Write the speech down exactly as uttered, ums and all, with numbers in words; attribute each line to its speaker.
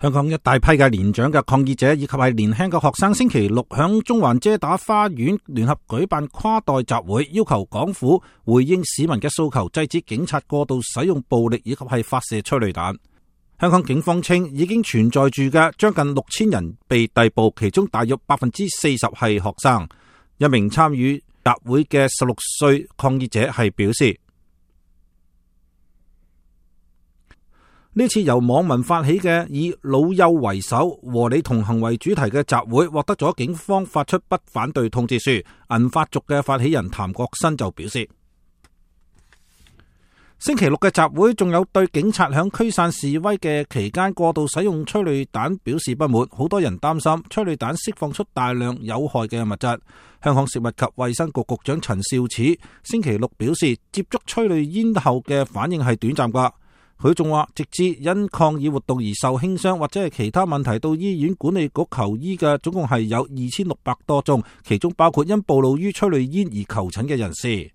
Speaker 1: 香港一大批嘅年長嘅抗議者以及係年輕嘅學生，星期六響中環遮打花園聯合舉辦跨代集會，要求港府回應市民嘅訴求，制止警察過度使用暴力以及係發射催淚彈。香港警方稱，已經存在住嘅將近六千人被逮捕，其中大約百分之四十係學生。一名參與集會嘅十六歲抗議者係表示，呢次由網民發起嘅以老幼為首、和你同行為主題嘅集會，獲得咗警方發出不反對通知書。銀髮族嘅發起人譚國新就表示，星期六嘅集會仲有對警察響驅散示威嘅期間過度使用催淚彈表示不滿，好多人擔心催淚彈釋放出大量有害嘅物質。香港食物及衛生局局長陳肇始星期六表示，接觸催淚煙後嘅反應係短暫㗎。佢仲話，直至因抗議活動而受輕傷或者係其他問題到醫院管理局求醫嘅，總共係有二千六百多宗，其中包括因暴露於催淚煙而求診嘅人士。